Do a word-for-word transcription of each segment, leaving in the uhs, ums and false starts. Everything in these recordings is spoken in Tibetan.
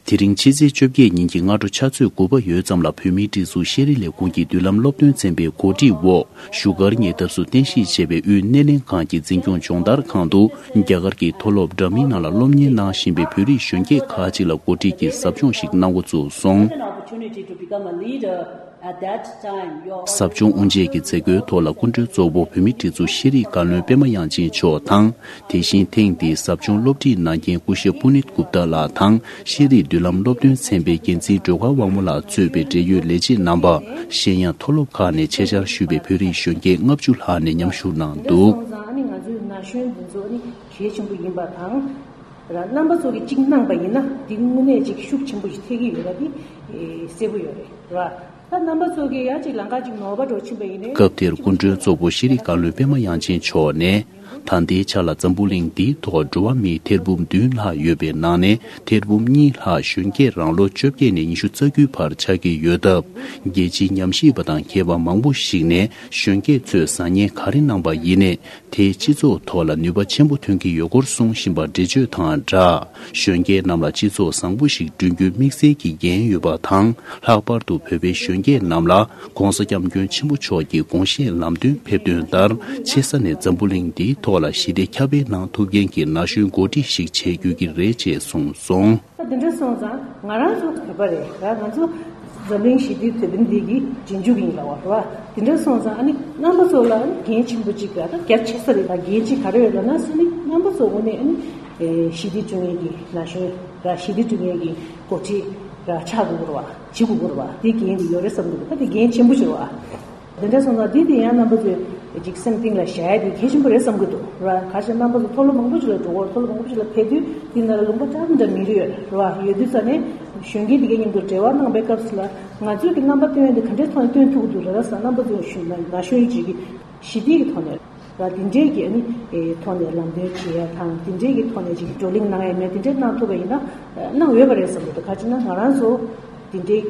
དེ་རིང་ཕྱི་ཚེས་བཅོ་བརྒྱད་ཉིན་གྱི་སྔ་དྲོ་ཆུ་ཚོད་དགུ་པ་ཡོལ་ཙམ་ལ་བོད་མིའི་སྒྲིག་འཛུགས་ཤེས་རིག་ལས་ཁུངས་ཀྱི་མདུན་ལམ་སློབ་སྟོན་ཚན་པའི་གོ་སྒྲིག་འོག་བཞུགས་སྒར་ཉེ་འདབས་སུ་རྟེན་གཞི་བྱས་པའི་དབུས་སྣེ་ལེན་ཁང་གི་འཛིན་སྐྱོང་སྦྱོང་བརྡར་ཁང་དུ། རྒྱ་གར་གྱི་མཐོ་སློབ་འདྲ་མིན་ནང་ལ་སློབ་གཉེར་གནང་བཞིན་པའི་བོད་རིགས་གཞོན་སྐྱེས་ཁག་ཅིག་ལ་གོ་སྒྲིག་གིས་ཟབ་སྦྱོང་ཞིག་གནང་འགོ་བཙུགས་སོང་། An opportunity to become a leader at that time. ཟབ་སྦྱོང་དབུ་འབྱེད་ཀྱི་མཛད་སྒོའི་ཐོག་ལ་སྐུ་མགྲོན་གཙོ་བོ་བོད་མིའི་སྒྲིག་འཛུགས་ཤེས་རིག་བཀའ་བློན་པད་མ་དབྱངས་ཅན་མཆོག་དང་། དེ་བཞིན་ཐེངས་འདིའི་ཟབ་སྦྱོང་སློབ་ཁྲིད་གནང་མཁན་སྐུ་ཞབས་པུ་ནིད་གུབ་ཏཱ་ལགས་དང་། ཤེས་རིག་མདུན་ལམ་སློབ་སྟོན་ཚན་པའི་འགན་འཛིན་སྒྲོལ་དཀར་དབང་མོ་ལགས་གཙོས་པའི་འབྲེལ་ཡོད་ལས་བྱེད་རྣམ་པ། གཞན་ཡང་མཐོ་སློབ་ཁག་ནས་ཆེད་བཅར་ཞུས་པའི་བོད་རིགས་གཞོན་སྐྱེས་ལྔ་བཅུ་ལྷག་ནས་མཉམ་ཞུགས་གནང་འདུག། སོང་ཙང་ཨ་ནི་ང་ཚོའི་ན་གཞོན་འདི་ཚོ་ཨ་ནི་གལ་ཆེན་པོ་ཡིན་པ་དང་། ར་རྣམ་པ་ཚོ་གིས་གཅིག་གནང་པ་ཡིན་ན་འདི་དངོས་གནས་ཅིག་ཤུགས་ཆེན་པོ་ཞིག་ཐེབས་ཀྱི་ཡོད་པ་འདི་གསལ་པོ་ཡོད་རེད་ར། ད་རྣམ་པ་ཚོ་གིས་ཡང་ཅིག་ལམ་ཁ་ཅིག་ནོར་བ་འགྲོ་ཕྱིན་པ་ཡིན་ནའི། སྐབས་དེར་སྐུ་མགྲོན་གཙོ་བོ་ཤེས་རིག་བཀའ་བློན་པད་མ་དབྱངས་ཅན་མཆོག་ནས། ད་ལྟའི་ཆ་ལ་འཛམ་བུ་གླིང་འདིའི་ཐོག་འགྲོ་བ་མིའི་ཐེར་འབུམ་བདུན་ལྷག་ཡོད་པའི་ནང་ནས་ཐེར་འབུམ་གཉིས་ལྷག་གཞོན་སྐྱེས་རང་ལོ་བཅོ་བརྒྱད་ནས་ཉི་ཤུ་རྩ་དགུའི་བར་ཆགས་ཀྱི་ཡོད་སྟབས། རྒྱལ་སྤྱིའི་ཉམས་ཞིབ་པ་དང་མཁས་པ་མང་པོ་ཞིག་ནས་གཞོན་སྐྱེས་ཚོས་བཟང་ངན་ག་རེ་གནང་པ་ཡིན་ནའི། དེས་སྤྱི་ཚོགས་ཐོག་ལ་ནུས་པ་ཆེན་པོ་ཐོན་གྱི་ཡོད་སྐོར་གསུང་བཞིན་པ་འགྲེལ་བརྗོད་དང་སྦྲགས། གཞོན་སྐྱེས་རྣམས་ལ་སྤྱི་ཚོགས་བཟང་པོ་ཞིག་བསྐྲུན་རྒྱུའི་དམིགས་བསལ་གྱི་འགན་ཡོད་པ་དང་། ལྷག་པར་དུ་བོད་པའི་གཞོན་སྐྱེས་རྣམས་ལ་༧གོང་ས་༧སྐྱབས་མགོན་ཆེན་པོ་མཆོག་གི་དགོངས་བཞེད་ལམ་སྟོན་ཕེབས་དོན་ལྟར། ཆེ་ས་ནས་འཛམ་བུ་གླིང་འདིའི་ཐོག་ལ་ཞི་བདེ་ཁྱབ་སྤེལ་གནང་ཐུབ་མཁན་གྱི་ན་གཞོན་འགོ་ཁྲིད་ཞིག་བྱེད་དགོས་ཀྱི་རེད་ཅེས་གསུངས་སོང་། ད་དེ་འདྲ་སོང་ཙང་ང་རང་ཚོ་བོད་པ་རེད་ར། ང་ཚོ་འཛམ་གླིང་ཞི་བདེའི་དེད་དཔོན་འདི་གི་རྗེས་འཇུག་ཡིན་ལ་བ་ར། དེ་འདྲ་སོང་ཙང་ཨ་ནི་རྣམ་པ་ཚོ་ལ་ཨ་ནི་འགན་ཆེན་པོ་གཅིག་ག་ད་རྒྱ་ཆེ་ས་རེད། ད་འགན་གཅིག་ག་རེ་ཡོད་ལབ་ན། ཨ་ནི་རྣམ་པ་ཚོ་དངོས་གནས་ཨ་ནི་ཞི་བདེ་བསྐྲུན་མཁན་གྱི་ན་གཞོན་ར། ཞི་བདེ་བསྐྲུན་མཁན་གྱི་འགོ་ཁྲིད་ར་ཆགས་དགོས་ར་བ། བྱེད་དགོས་ར་བ། དེ་འགན་དེ་ཡོད་རེད་བསམ་གི་འདུག། ད་དེ་འགན་ཆེན་པོ་ཞིག་ར་བ། དེ་འདྲ་སོང་ཙང་འདི་དེ་ཡང་རྣམ་པ་ཚོས་ཅིག་སེམས་གཏིང་ལ་བཞག་ཡ་དེ་གལ་ཆེན་པོ་རེད་བསམ་གྱི་འདུག་ར། ག་ཞིག་རྣམ་པ་ཚོ་མཐོ་སློབ་མང་པོ་ཞིག་ལ་འགྲོ་གི་ཡོད། མཐོ་སློབ་མང་པོ་ཞིག་ལ་ཕེབས་དུས་དེ་ནང་ལ་ལུང་པ་ལྟར་འདྲ་མི་རེ་ཡོད་ར། ཡོད་དུས་ཙ་ནས་གཞོན་སྐྱེས་དེ་གའི་མཉམ་དུ་འབྲེལ་བ་གནང་པའི་སྐབས་སུ་ལ་ང་ཚོས་ཀྱི་རྣམ་པ་སྟོན་ཡ་དེ་ག་འདྲའི་ཐོག་ནས་སྟོན་ཐུབ་ཀྱི་འདུག་ར། ས་རྣམ་པ་ཚོས་ཞུ་ན་ན་གཞོན་ཅིག་གི་ཞི་བདེ་གི་ཐོག་ནས་ར། དེ་འདྲའི་གི་ཨ་ནི་ཨེ་ཐོག་ནས་ལམ་སྟོན་བྱེད་ཡ་དང་། དེ་འདྲའི་གི་ཐོག་ནས་ཅིག་བགྲོ་གླེང་གནང་ཡ་མེད། དེ་འདྲའི་གནང་ཐུབ་པ་ཡིན་ན་གནང་འོས་པ་རེད་བསམ་གྱི་འདུག། ག་ཅི་ན་ང་རང་ཚོ་དེ་འདྲའི་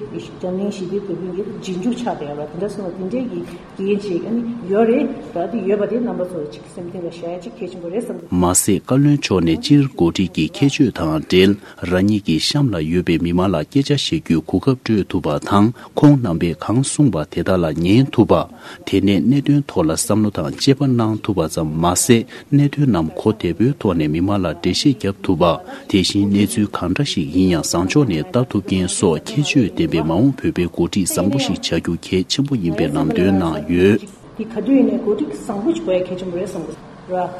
འཛམ་གླིང་ཞི་བདེའི་དེད་དཔོན་གྱི་རྗེས་འཇུག་ཆགས་བསྡད་ཡོད་ར། དེ་འདྲ་སོང་བ་དེ་འདྲའི་གི་འགན་ཅིག་ཨ་ནི་ཡོད་རེད་ར། དེ་ཡོད་པ་དེ་རྣམ་པ་ཚོ་ཅིག་སེམས་གཏིང་ལ་བཞག་ཡ་ཅིག་གལ་ཆེན་པོ་རེད་བསམ་གྱི་འདུག། མ་ཟད་བཀའ་བློན་མཆོག་ནས་སྤྱིར་འགོ་ཁྲིད་ཀྱི་ཁྱད་ཆོས་དང་འབྲེལ། རང་ཉིད་ཀྱི་གཤམ་ལ་ཡོད་པའི་མི་མང་ལ་སྐད་ཆ་བཤད་རྒྱུའི་གོ་སྐབས་སྤྲོད་ཐུབ་པ་དང་། ཁོང་རྣམ་པས་གང་གསུངས་པ་དེ་དག་ལ་ཉན་ཐུབ་པ། དེ་ནས་གནད་དོན་ཐོག་ལ་བསམ་བློ་དང་དཔྱད་པ་གནང་ཐུབ་པ་ཙམ་མ་ཟད། གནད་དོན་རྣམས་གོ་བདེ་པོའི་ཐོག་ནས་མི་མང་ལ་འགྲེལ་བཤད་བརྒྱབ་ཐུབ་པ། དེ་བཞིན་གནས་ཚུལ་གང་འདྲ་ཞིག་ཡིན་ཡང་བཟང་ཕྱོགས་ནས་ལྟ་ཐུབ་མཁན་སོགས་ཁྱད་ཆོས་ལྡན་པའི་མ་འོངས་བོད་པའི་འགོ་ཁྲིད་བཟང་པོ་ཞིག་བྱ་རྒྱུ་གལ་ཆེན་པོ་ཡིན་པའི་ལམ་སྟོན་གནང་ཡོད། དེ་ག་དུས་ཡིན་ནའི་འགོ་ཁྲིད་བཟང་པོ་ཞིག་དགོས་ཡ་གལ་ཆེན་པོ་རེད་བསམ་གྱི་ར།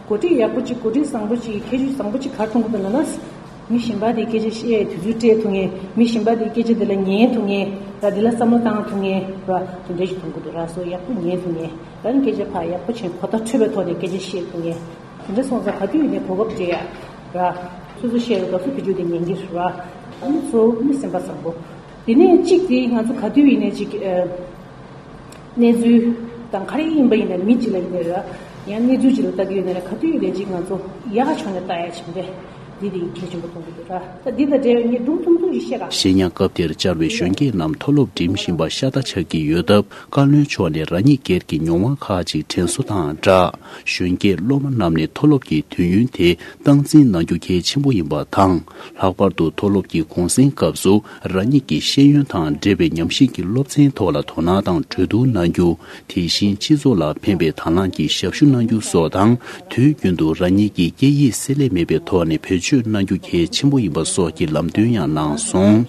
འགོ་ཁྲིད་ཡག་པོ་ཅིག་འགོ་ཁྲིད་བཟང་པོ་ཅིག་ཁྱད་ཆོས་བཟང་པོ་ཅིག་ག་རེ་མཐོང་གི་འདུག་ལབ་ན། མི་གཞན་པ་དེའི་སྐད་ཆ་བཤད་དུས་ཚོད་སྤྲད་ཐུབ་མཁན། མི་གཞན་པ་དེའི་སྐད་ཆ་དེ་ལ་ཉན་ཐུབ་མཁན་ར། དེ་ལ་བསམ་བློ་བཏང་ཐུབ་མཁན་ར། དེ་འདྲ་ཞིག་མཐོང་གི་འདུག་ར། སོ་ཡག་པོ་ཉན་ཐུབ་མཁན། ད་ནི་སྐད་ཆ་ཕར་ཡག་པོ་བྱས་གོ་བརྡ་འཕྲོད་པའི་ཐོག་ནས་སྐད་ཆ་བཤད་ཐུབ་མཁན། དེ་འདྲ་སོང་ཙང་ག་དུས་ཡིན་ནའི་གོ་སྐབས་སྤྲད་ཡ་ར། སོ་སོ་བཤད་པའི་སྐབས་སུ་དེ་རྒྱུ་དེ་ཉན་གྱི་ར། ཨ་ནི་གཙོ་བོ་ནི་སེམས་པ་བཟང་པོ། དེ་ནས་གཅིག་དེ་ང་ཚོ་ག་དུས་ཡིན་ནའི་ཅིག་ཨ། གནས་ཚུལ་དང་ག་རེ་ཡིན་པ་ཡིན་ན། མི་གཅིག་ལ་ཡིན་ནའི་ར། ཡང་གནས་ཚུལ་གཅིག་ལ་ལྟ་གི་ཡོད་ན་ར། ག་དུས་ཡིན་ནའི་ཅིག་ང་ཚོ་ཡག་ཕྱོགས་ནས་ལྟ་ཡ་བྱས་པས་འདི་དེ་གལ་ཆེན་པོ་མཐོང་གི་འདུག་ར། ད་འདི་དང་འབྲེལ་བའི་ངས་སྒྲུང་ཐུང་ཐུང་ཞིག་བཤད་ག། གཞན་ཡང་སྐབས་དེར་བཅར་བའི་གཞོན་སྐྱེས་རྣམས་མཐོ་སློབ་འགྲིམ་བཞིན་པ་ཤ་སྟག་ཆགས་ཀྱི་ཡོད་སྟབས། བཀའ་བློན་མཆོག་ནས་རང་ཉིད་སྒེར་གྱི་མྱོང་བ་ཁག་ཅིག་དྲན་གསོ་དང་སྦྲགས། གཞོན་སྐྱེས་སློབ་མ་རྣམས་ནས་མཐོ་སློབ་ཀྱི་དུས་ཡུན་དེ་སྟངས་འཛིན་གནང་རྒྱུ་གལ་ཆེན་པོ་ཡིན་པ་དང་། ལྷག་པར་དུ་མཐོ་སློབ་ཀྱི་གུང་སེང་སྐབས་སུ་རང་ཉིད་ཀྱི་ཤེས་ཡོན་དང་འབྲེལ་བའི་ཉམས་ཞིབ་ཀྱི་སློབ་ཚན་ཐོག་ལ་དོ་སྣང་དང་གྲོས་བསྡུར་གནང་རྒྱུ། དེ་བཞིན་སྤྱི་ཚོགས་ལ་ཕན་པའི་དང་བླངས་ཀྱི་ཞབས་ཞུ་གནང་རྒྱུ་སོགས་དང་། དུས་རྒྱུན་དུ་རང་ཉིད་ཀྱི་སྐད་ཡིག་བསྲེ་ལྷད་མེད་པའི་ཐོག་ནས་བེད་སྤྱོད་གནང་རྒྱུ་གལ་ཆེན་པོ་ཡིན་པ་སོགས་ཀྱི་ལམ་སྟོན་ཡང་གནང་སོང་།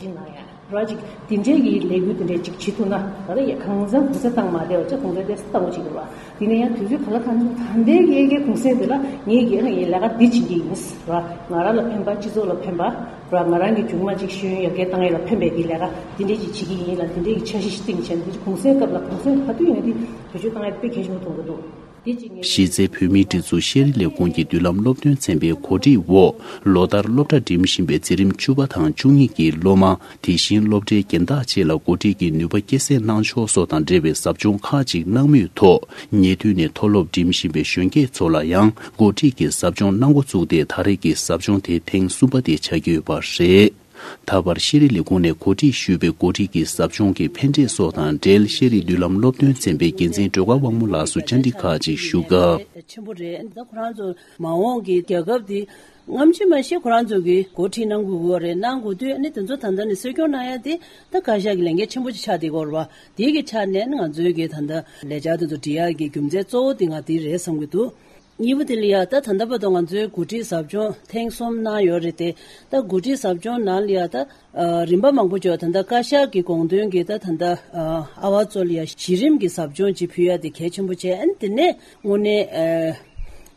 ར་ཅིག་དེ་འདྲའི་གི་ལས་འགུལ་དེ་འདྲའི་ཅིག་བྱེད་ཐུབ་ན། ད་ལྟ་ཡ་གང་འཚམ་གུང་སེང་བཏང་མ་བསྡད་པ་ཅིག་གུང་སེང་དེ་བཏང་དགོས་ཅིག་རེད་བ། དེ་ནས་ཡང་དུས་ཚོད་ག་ལ་གང་འཚམ་ད་ལྟའི་གི་གུང་སེང་དེ་ལ་ངས་གི་ཡང་ལས་ཀ་འདི་བྱེད་ཀྱི་ཡིན་ར། ང་རང་ལ་ཕན་པ། སྤྱི་ཚོགས་ལ་ཕན་པ་ར། ང་རང་གི་མཇུག་མ་ཅིག་ཤེས་ཡོན་ཡར་རྒྱས་བཏང་ཡ་ལ་ཕན་པའི་གི་ལས་ཀ་དེ་འདྲའི་ཅིག་བྱེད་ཀྱི་ཡིན་ལ། དེ་འདྲའི་གི་འཆར་གཞི་ཞིག་བཏིང་བྱས་ནས། འདི་ཅིག་གུང་སེང་སྐབས་ལ་གུང་སེང་ག་དུས་ཡིན་ན་འདི་བེད་སྤྱོད་བཏང་ཡ་དཔེ་གལ་ཆེན་པོ་མཐོང་གི་འདུག། གཞི་རྩའི་བོད་མིའི་སྒྲིག་འཛུགས་ཤེས་རིག་ལས་ཁུངས་ཀྱི་མདུན་ལམ་སློབ་སྟོན་ཚན་པའི་གོ་སྒྲིག་འོག་ལོ་ལྟར་སློབ་གྲྭ་འགྲིམ་བཞིན་པའི་འཛིན་རིམ་བཅུ་པ་དང་བཅུ་གཉིས་ཀྱི་སློབ་མ། དེ་བཞིན་སློབ་གྲྭའི་རྒན་བདག་བཅས་ལ་གོ་སྒྲིག་གིས་ནུས་པ་སྐྱེད་སྲིང་གནང་ཕྱོགས་སོགས་དང་འབྲེལ་བའི་ཟབ་སྦྱོང་ཁག་ཅིག་གནང་མུས་ཐོག་ཉེ་དུས་ནས་མཐོ་སློབ་འགྲིམ་བཞིན་པའི་གཞོན་སྐྱེས་ཚོ་ལ་ཡང་གོ་སྒྲིག་གིས་ཟབ་སྦྱོང་གནང་འགོ་བཙུགས་ཏེ། ད་རེས་ཀྱི་ཟབ་སྦྱོང་དེ་ཐེངས་གསུམ་པ་དེ་ཆགས་ཀྱི་ཡོད་པ་རེད། ད་བར་ཤེས་རིག་ལས་ཁུངས་ནས་གོ་སྒྲིག་ཞུས་པའི་འགོ་ཁྲིད་ཀྱི་ཟབ་སྦྱོང་གི་ཕན་འབྲས་སོགས་དང་འབྲེལ། ཤེས་རིག་མདུན་ལམ་སློབ་སྟོན་ཚན་པའི་འགན་འཛིན་སྒྲོལ་དཀར་དབང་མོ་ལགས་སུ་བཅར་འདྲི་ཁག་ཅིག་ཞུ་སྐབས། ཆེན་པོ་རེད། ད་ཁོ་རང་ཚོ་མ་འོངས་ཀྱི་རྒྱལ་ཁབ་འདི་ སྔ་ཕྱི་མ་ཤེས་ཁོ་རང་ཚོ་གིས་འགོ་ཁྲིད་གནང་དགོས་ཀྱི་ཡོད་རེད། གནང་དགོས་དུས་ཨ་ནི་དེ་ཚོ་ད་ལྟ་ནས་གསོ་སྐྱོང་གནང་ཡ་དེ་ད་བཀའ་ཤག་གི་ལས་འགན་ཆེན་པོ་ཅིག་ཆགས་བསྡད་ཀྱི་ཡོད་རེད་བ། དེ་གི་ཆ་ནས་ཨ་ནི་ང་ཚོའི་གི་ད་ལྟ་ལས་འཆར་དེ་ཚོ་སྒྲིག་ཡ་གི་རྒྱུ་མཚན་གཙོ་བོ་དེ་ང་དེ་རེད་བསམ་གྱི་འདུག་གཉིས་པ་དེ་ལ་ཡ་ད་ད་ལྟ་བར་དུ་ང་ཚོའི་འགོ་ཁྲིད་ཟབ་སྦྱོང་ཐེངས་གསུམ་གནང་ཡོད་རེད་དེ། ད་འགོ་ཁྲིད་ཟབ་སྦྱོང་ནང་ལ་ཡ་ད་ཨ་རིམ་པ་མང་པོ་ཅིག་ད་ལྟ་བཀའ་ཤག་གི་དགོངས་དོན་གྱིས་ད་ད་ལྟ་ཨ་ཨ་བ་ཚོ་ལ་ཡ་གཞི་རིམ་གྱི་ཟབ་སྦྱོང་ཅིག་ཕུལ་ཡ་དེ་གལ་ཆེན་པོ་བྱས། ཨ་ནི་དེ་ནས་དངོས་གནས་ཨ་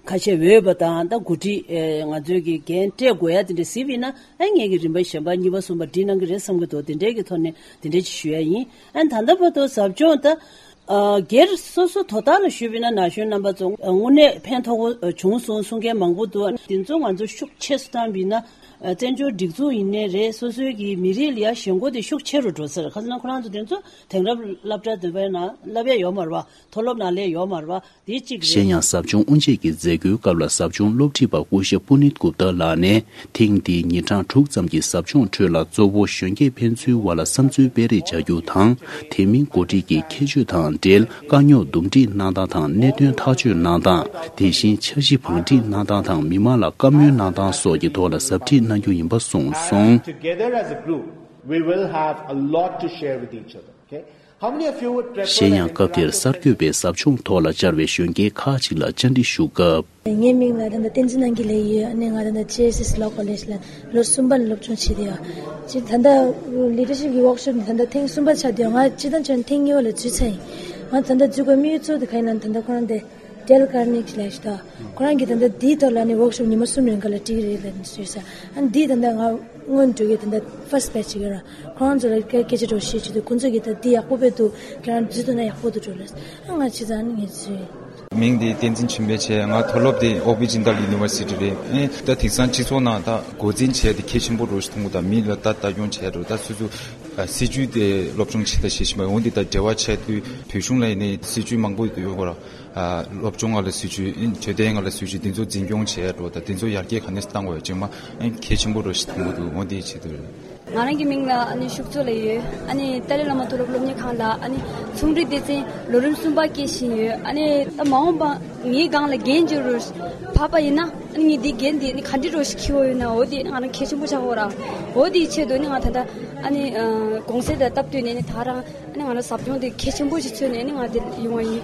ཁ་ཤས་འོས་པ་དང་ད་འགོ་ཁྲིད་ཨ་ང་ཚོའི་གི་འགན་སྤྲད་དགོས་ཡ་དེ་འདྲ་གཟིགས་པ་ཡིན་ན། ཨ་ངེད་ཀྱི་རིམ་པ་གཞན་པ་གཉིས་པ་གསུམ་པ་སྒྲིག་གནང་གི་རེད་བསམ་གྱི་འདུག་དེ་འདྲའི་གི་ཐོག་ནས་དེ་འདྲའི་ཅིག་ཞུ་ཡ་ཡིན། ཨ་ད་ལྟ་བར་དུ་ཟབ་སྦྱོང་ད་ཨ་སྒེར་སོ་སོ་དོ་བདག་ལ་ཞུས་པ་ཡིན་ན་ན་གཞོན་རྣམ་པ་ཚོ་ཨ་དངོས་གནས་ཕན་ཐོགས་པོ་བྱུང་སོང་གསུང་མཁན་མང་པོ་འདུག་དེ་ཚོ་ང་ཚོ་ཤུགས་ཆེ་སུ་བཏང་བ་ཡིན་ན། ཨ་བཙན་བྱོལ་སྒྲིག་འཛུགས་ཡིན་ནའི་རེད། སོ་སོའི་གི་མི་རིགས་ལ་ཡ་ཞེན་ཁོག་དེ་ཤུགས་ཆེ་རུ་འགྲོ་ས་རེད། ཁ་སང་ཁོ་རང་ཚོ་དེ་ཚོ་དེང་རབས་སློབ་གྲྭ་འདི་པའི་ནང་བསླབ་ཡ་ཡོད་མ་རེད་བ། མཐོ་སློབ་ནང་སླེབས་ཡོད་མ་རེད་བ། དེ་གཅིག་རེད། གཞན་ཡང་ཟབ་སྦྱོང་དབུ་འབྱེད་ཀྱི་མཛད་སྒོའི་སྐབས་ལ་ཟབ་སྦྱོང་སློབ་ཁྲིད་པ་སྐུ་ཞབས་པུ་ནིད་གུབ་ཏཱ་ལགས་ནས། ཐེངས་འདིའི་ཉིན་གྲངས་དྲུག་ཙམ་གྱི་ཟབ་སྦྱོང་ཁྲོད་ལ་གཙོ་བོ་གཞོན་སྐྱེས་ཕན་ཚུན་བར་ལ་བསམ་ཚུལ་སྤེལ་རེས་བྱ་རྒྱུ་དང་། དེ་མིན་འགོ་ཁྲིད་ཀྱི་ཁྱད་ཆོས་དང་འབྲེལ་དཀའ་རྙོག་འདུམ་འགྲིག་གནང་སྟངས་དང་གནད་དོན་ཐག་གཅོད་གནང་སྟངས། དེ་བཞིན་འཆར་གཞི་བང་སྒྲིག་གནང་སྟངས་དང་མི་མང་ལ་བཀའ་མོལ་གནང་སྟངས་སོགས་ཀྱི་ཐོག་ལ་ཟབ་ཁྲིད་གནང་རྒྱུ་ཡིན་པ་གསུངས་སོང་། Together as a group, we will have a lot to share with each other. Okay? How many of you would prefer གཞན་ཡང་སྐབས་དེར་གསར་འགོད་པས་ཟབ་སྦྱོང་ཐོག་ལ་བཅར་བའི་གཞོན་སྐྱེས་ཁག་ཅིག་ལ་བཅར་འདྲི་ཞུ་སྐབས། ངའི་མིང་ལ་ད་ལྟ་བསྟན་འཛིན་ནང་གི་ལས་ཡོད། ཨ་ནི་ང་ད་ལྟ་ཇེ་ཨེས་ཨེས་ལོ་ཀོ་ལེཇ་ལ་ལོ་གསུམ་པ་ལ་སློབ་སྦྱོང་བྱེད་དེ་ཡོད། ཅི་ད་ལྟ་ལི་ཌར་ཤིབ་ཀྱི་ཝོག་ཤོབ་ནི་ད་ལྟ་ཐེངས་གསུམ་པ་ཆགས་དེ་ཡོད། ང་སྤྱིར་བཏང་བྱས་ན་ཐེངས་གཉིས་པ་ལ་འཛུལ་ཚར་ཡིན། ང་ད་ལྟ་འཛུལ་དགོས་དམིགས་ཡུལ་གཙོ་བོ་དེ་ག་ཡིན་ལབ་ན་ད་ལྟ་ཁོ་རང་དེ། ཌེལ་ཀར་ནེ་གི་ལབ་ཤག་ད། ཁོ་རང་གིས་ད་ལྟ་འདིའི་ཐོག་ལ་ནི་ཝོག་ཤོབ་ཉི་མ་གསུམ་རིང་ག་ལ་སྒྲིག་རེད་ལབ་ནས་ཞུས་ས། ཨ་ནི་འདིའི་ད་ལྟ་ང་སྔོན་འགྲོ་གི་ད་ལྟ་ཕར་སི་བེ་ཆི་ཅིག་ཡོད་ར། ཁོ་རང་ཚོ་ལ་སྐད་སྐད་ཆ་འདྲ་བོ་བཤད་བྱེད་དུས་ཁོ་ཚོ་གིས་ད་འདི་ཡག་པོ་དཔེ་འདུག་ཁྱེད་རང་འཛུལ་ཐུབ་ན་ཡག་པོ་འདུག་འགྲོ་ལབ། ཨ་ང་ཅི་ཙང་ནི་ངས་འཛུལ། མིང་འདི་བསྟན་འཛིན་ཆོས་འཕེལ་བྱས། ང་མཐོ་སློབ་འདི་ཨོ་པི་ཇིན་ཏཱ་ཡུ་ནི་ཝར་སི་ཊི་རེད། ཨེ་ད་དེང་སང་སྤྱི་ཚོགས་ནང་ད་འགོ་འཛིན་བྱས་ཏེ་གལ་ཆེན་པོ་འདྲ་བོ་ཞིག་མཐོང་གི་འདུག་མི་ལ་ད་ལྟ་སྐྱོང་བྱས་འདྲ་བོ་ད་སོ་སོ་ཨ་སྲིད་ཇུས་དེ་སློབ་སྦྱོང་བྱེད་ད་བྱེད་བཞིན་པ་འོན་ཏེ་ད་འབྲེལ་བ་བྱས་དུས་བོད་གཞུང་ལ་ཡིན་ནའི་སྲིད་ཇུས་མང་པོ་ཡོད་ར། ཨ་སློབ་སྦྱོང་སྒང་ལ་སྲིད་ཇུས། ཨིན་འཕྲོད་བསྟེན་སྒང་ལ་སྲིད་ཇུས་འདི་ཚོ་འཛིན་སྐྱོང་བྱས་འགྲོ་དང་འདི་ཚོ་ཡར་རྒྱས་ག་ནས་བཏང་དགོས་ཡ་ཅིག་མ་ཨིན་གལ་ཆེན་པོ་རུ་ཞིག་མཐོང་གི་འདུག་འོ་འདི་ཆེད་དུ་རེད། ང་རང་གི་མིང་ལ་ཨ་ནི་ཤུག་ཚོ་ལབ་ཡོད། ཨ་ནི་ཏཱ་ལའི་བླ་མ་མཐོ་སློབ་སློབ་གཉེར་ཁང་ལ་ཨ་ནི་ཚོང་འབྲེལ་སྡེ་ཚན་ལོ་རིམ་གསུམ་པ་སྐྱེལ་བཞིན་ཡོད། ཨ་ནི་ད་མ་འོངས་པ་ངའི་སྒང་ལ་འགན་བཅོལ་རུ་བབས་པ་ཡིན་ན་ཨ་ནི་ངས་འདི་འགན་འདི་ཨ་ནི་ག་འདྲ་རུ་ཞིག་འཁྱེར་དགོས་ཡོད་ན་འོ་འདི་ང་རང་གལ་ཆེན་པོ་ཆགས་ཀྱི་ཡོད་ར། འོ་འདིའི་ཆེད་དུ་ཨ་ནི་ང་ད་ལྟ་ཨ་ནི་ཨ་གུང་སེང་དང་སྟབས་བསྟུན་ནས་ཨ་ནི་ད་རང་ཨ་ནི་ང་རང་ཟབ་སྦྱོང་འདི་གལ་ཆེན་པོ་ཞིག་མཚོན་ནས་ཨ་ནི་ང་འདིར་ཡོང་བ་ཡིན།